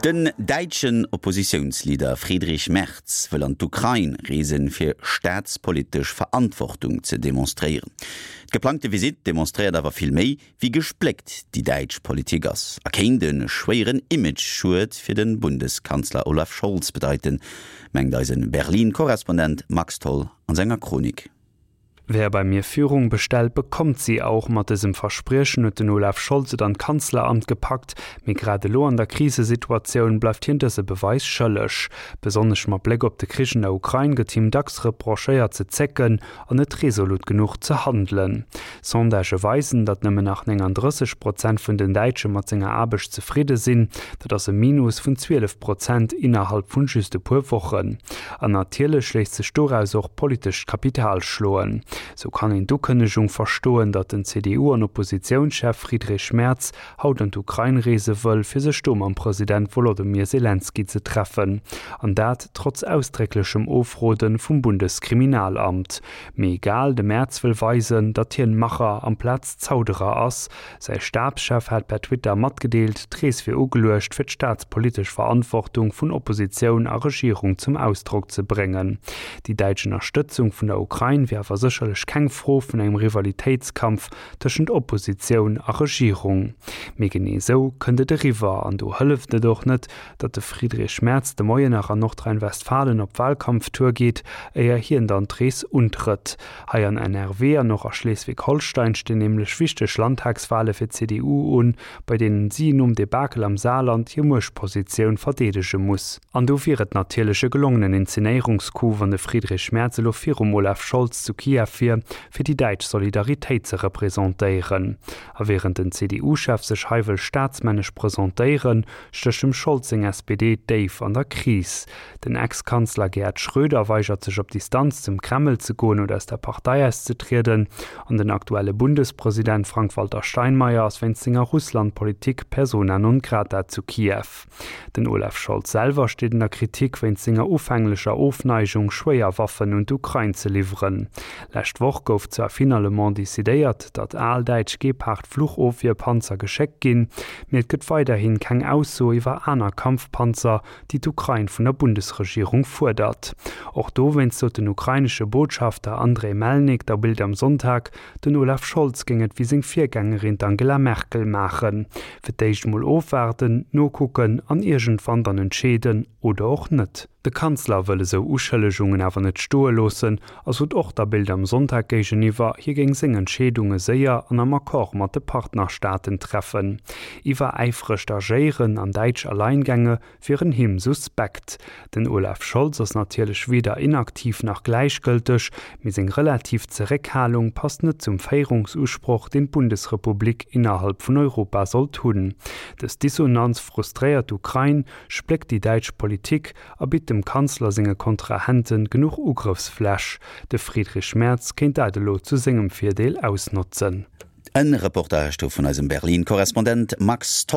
Den däitschen Oppositiounsleader Friedrich Merz wëll an d'Ukrain reesen, fir staatspolitesch Verantwortung ze demonstréieren. D'geplangte Visitt demonstréiert awer vill méi, wéi gespléckt déi däitsch Politik ass a kéint e schwéieren Image-Schued fir de Bundeskanzler Olaf Scholz bedeiten, mengt eise Berlin-Korrespondent Max Tholl an senger Chronik. Wer bei mir Führung bestellt, bekommt sie auch. Mat dësem Verspriechen huet den Olaf Scholz et an d'Kanzleramt gepackt. Mee grad elo an der Krisesituatioun bleift hien dëse Beweis schëlleg. Besonnesch mat Bléck op de Krich an der Ukrain gëtt him dacks reprochéiert ze zécken an net resolut genuch ze handelen. Sondagë weisen, datt nëmmen nach 39 Prozent vun den Däitsche mat senger Aarbecht zefridde sinn. Dat ass e Minus vun 12 Prozent innerhalb vun just e puer Wochen. An natierlech léisst sech doraus och politescht Kapital schloen. Sou kann een d'Ukënnegung verstoen, datt den CDU an Oppositiounschef Friedrich Merz haut an d'Ukrain reese wëll, fir sech do mam President Wolodymyr Selenskyj ze treffen. An dat trotz ausdrécklechem Ofrode vum Bundeskriminalamt. Mee egal, de Merz wëll weisen, datt hien Macher amplaz Zauderer ass. Säi Stabschef hat per Twitter matgedeelt, d'Rees wier ugeluecht, fir d'staatspolitesch Verantwortung vun Oppositioun a Regierung zum Ausdrock ze bréngen. Déi däitsch Ënnerstëtzung vun der Ukrain wier awer sécherlech keng Fro vun engem Rivalitéitskampf tëschent Oppositioun a Regierung. Mee genee esou kënnt et eriwwer an do hëlleft et och net, datt de Friedrich Merz de Moien nach an Nordrhein-Westfalen op Wahlkampftour geet, éier hien dann d'Rees untrëtt. Hei an NRW an och a Schleswig-Holstein stinn nämlech wichteg Landtagswahle fir d'CDU un, bei deenen si nom Debakel am Saarland hir Muechtpositioun verdeedege muss. An do wier et natierlech e gelongenen Inzenéierungscoup, wann de Friedrich Merz elo virum Olaf Scholz zu Kiew wier, fir déi däitsch Solidaritéit ze representéieren. A wärend den CDU-Chef sech hei wëll staatsmännesch presentéieren, stécht dem Scholz seng SPD déif an der Kris. Den Ex-Kanzler Gerhard Schröder weigert sech op Distanz zum Kreml ze goen oder aus der Partei auszetrieden an den aktuelle Bundespresident Frank-Walter Steinmeier ass wéinst senger Russland-Politik persona non grata zu Kiew. Den Olaf Scholz selwer steet an der Kritik wéinst senger ufänglecher Ofneigung, schwéier Waffen un d'Ukrain ze liwweren. Lescht Woch gouf zwar finalement decidéiert, datt al däitsch Gepard-Fluchofwierpanzer geschéckt ginn, mee et gëtt weiderhi keng Ausso iwwer aner Kampfpanzer, déi d'Ukrain vun der Bundesregierung fuerdert. Och dowéinst sot den ukrainesche Botschafter Andrej Melnik der Bild am Sonntag, den Olaf Scholz géing et wéi seng Virgängerin d'Angela Merkel maachen, Fir d'éischt mol ofwaarden, nokucken an iergendwann dann entscheeden oder och net. De Kanzler wëll esou Uschëllegungen awer net stoe loossen a sot och der Bild am Sonntag géigeniwwer, hie géing seng Entscheedunge séier an am Accord mat de Partnerstaaten treffen. Iwweräifregt Agéieren an däitsch Alleingänge wieren him suspekt. Den Olaf Scholz ass natierlech weder inaktiv nach gläichgëlteg, mee seng relativ Zeréckhalung passt net zum Féierungsusproch, deen d'Bundesrepublik innerhalb vun Europa sollt hunn. Dës Dissonanz frustréiert d'Ukrain, spléckt déi däitsch Politik a bitt dem Kanzler senge Kontrahente genuch Ugrëffsfläch. De Friedrich Merz kéint dat elo zu sengem Virdeel ausnotzen. En Reportage do vun eisem Berlin-Korrespondent Max Tholl.